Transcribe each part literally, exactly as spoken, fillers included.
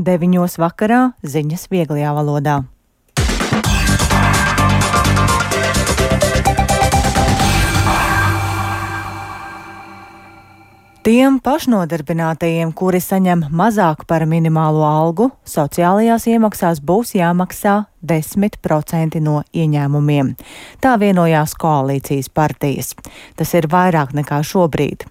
Deviņos vakarā ziņas vieglajā valodā. Tiem pašnodarbinātajiem, kuri saņem mazāk par minimālo algu, sociālajās iemaksās būs jāmaksā desmit procenti no ieņēmumiem. Tā vienojās koalīcijas partijas. Tas ir vairāk nekā šobrīd.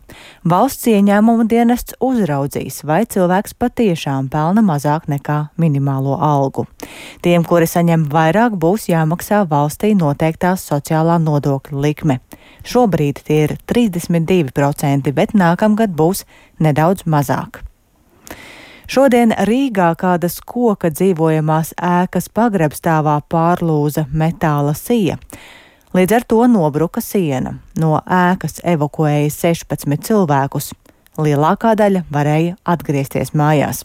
Valsts ieņēmumu dienests uzraudzīs, vai cilvēks patiešām pelna mazāk nekā minimālo algu. Tiem, kuri saņem vairāk, būs jāmaksā valstī noteiktās sociālā nodokļa likme. Šobrīd tie ir trīsdesmit divi procenti, bet nākamgad būs nedaudz mazāk. Šodien Rīgā kādas koka dzīvojamās ēkas pagrabstāvā pārlūza metāla sija. Līdz ar to nobruka siena. No ēkas evakuēja sešpadsmit cilvēkus. Lielākā daļa varēja atgriezties mājās.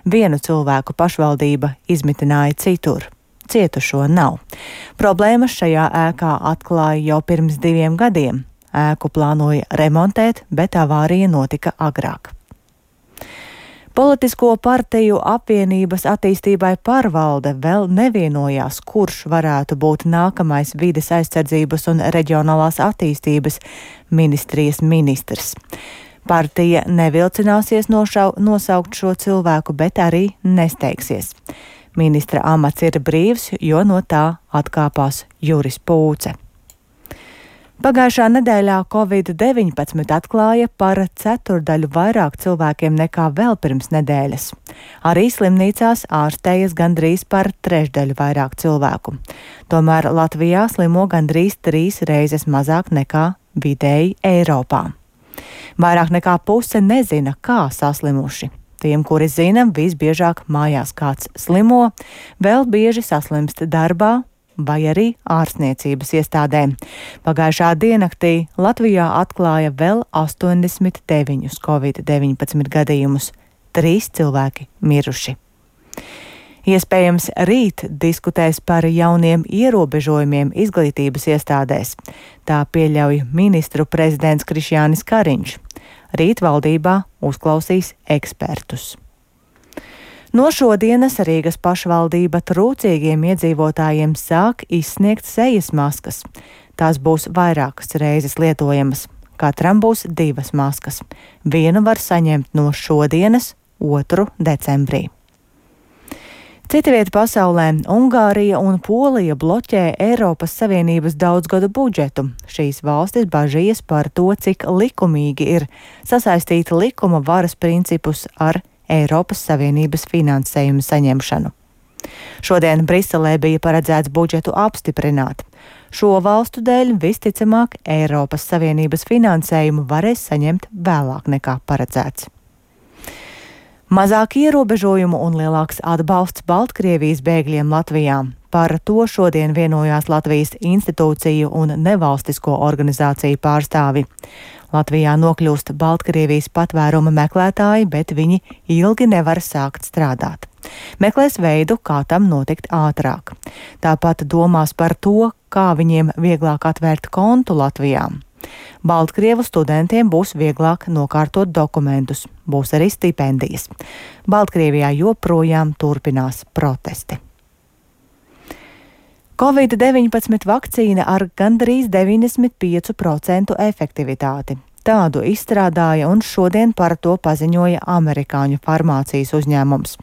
Vienu cilvēku pašvaldība izmitināja citur. Cietušo nav. Problēmas šajā ēkā atklāja jau pirms diviem gadiem. Ēku plānoja remontēt, bet avārija notika agrāk. Politisko partiju apvienības attīstībai pārvalde vēl nevienojās, kurš varētu būt nākamais vides aizsardzības un reģionālās attīstības ministrijas ministrs. Partija nevilcināsies nošau, nosaukt šo cilvēku, bet arī nesteigsies. Ministra amats ir brīvs, jo no tā atkāpās Juris Pūce. Pagājušā nedēļā covid deviņpadsmit atklāja par ceturdaļu vairāk cilvēkiem nekā vēl pirms nedēļas. Arī slimnīcās ārstējas gandrīz par trešdaļu vairāk cilvēku. Tomēr Latvijā slimo gandrīz trīs reizes mazāk nekā vidēji Eiropā. Vairāk nekā puse nezina, kā saslimuši. Tiem, kuri zina, visbiežāk mājās kāds slimo, vēl bieži saslimst darbā vai arī ārstniecības iestādē. Pagājušā diennaktī Latvijā atklāja vēl astoņdesmit deviņus covid deviņpadsmit gadījumus, trīs cilvēki miruši. Iespējams, rīt diskutēs par jauniem ierobežojumiem izglītības iestādēs. Tā pieļauj ministru prezidents Krišjānis Kariņš. Rīt valdībā uzklausīs ekspertus. No šodienas Rīgas pašvaldība trūcīgiem iedzīvotājiem sāk izsniegt sejas maskas. Tās būs vairākas reizes lietojamas. Katram būs divas maskas. Vienu var saņemt no šodienas, otru decembrī. Cita vieta pasaulē - Ungārija un Polija bloķē Eiropas Savienības daudzgadu budžetu. Šīs valstis bažījas par to, cik likumīgi ir sasaistīt likuma varas principus ar Eiropas Savienības finansējumu saņemšanu. Šodien Briselē bija paredzēts budžetu apstiprināt. Šo valstu dēļ visticamāk Eiropas Savienības finansējumu varēs saņemt vēlāk nekā paredzēts. Mazāk ierobežojumu un lielāks atbalsts Baltkrievijas bēgļiem Latvijā. Par to šodien vienojās Latvijas institūciju un nevalstisko organizāciju pārstāvi. Latvijā nokļūst Baltkrievijas patvēruma meklētāji, bet viņi ilgi nevar sākt strādāt. Meklēs veidu, kā tam notikt ātrāk. Tāpat domās par to, kā viņiem vieglāk atvērt kontu Latvijā. Baltkrievu studentiem būs vieglāk nokārtot dokumentus, būs arī stipendijas. Baltkrievijā joprojām turpinās protesti. covid deviņpadsmit vakcīna ar gandrīz deviņdesmit piecu procentu efektivitāti. Tādu izstrādāja un šodien par to paziņoja amerikāņu farmācijas uzņēmums.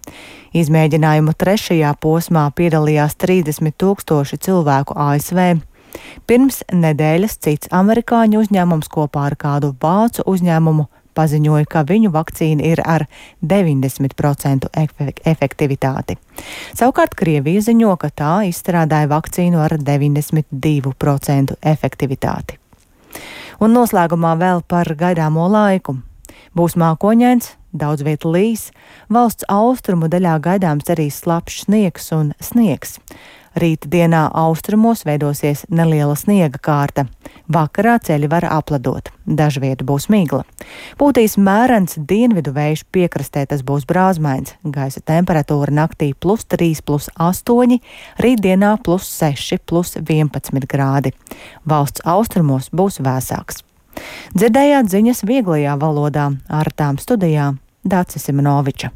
Izmēģinājumu trešajā posmā piedalījās trīsdesmit tūkstoši cilvēku A S V. Pirms nedēļas cits amerikāņu uzņēmums kopā ar kādu vācu uzņēmumu paziņoja, ka viņu vakcīna ir ar deviņdesmit procentu efektivitāti. Savukārt Krievija ziņo, ka tā izstrādāja vakcīnu ar deviņdesmit divu procentu efektivitāti. Un noslēgumā vēl par gaidāmo laiku. Būs mākoņains, daudz viet līs, valsts austrumu daļā gaidāms arī slapjš sniegs un sniegs. Rīt dienā austrumos veidosies neliela sniega kārta. Vakarā ceļi var apledot. Dažviet būs migla. Pūtīs mērens dienvidu vējš, piekrastē tas būs brāzmains. Gaisa temperatūra naktī plus trīs, plus astoņi, rītdienā plus seši, plus vienpadsmit grādi. Valsts austrumos būs vēsāks. Dzirdējāt ziņas vieglajā valodā, ar tām studijā Dācis Simonoviča.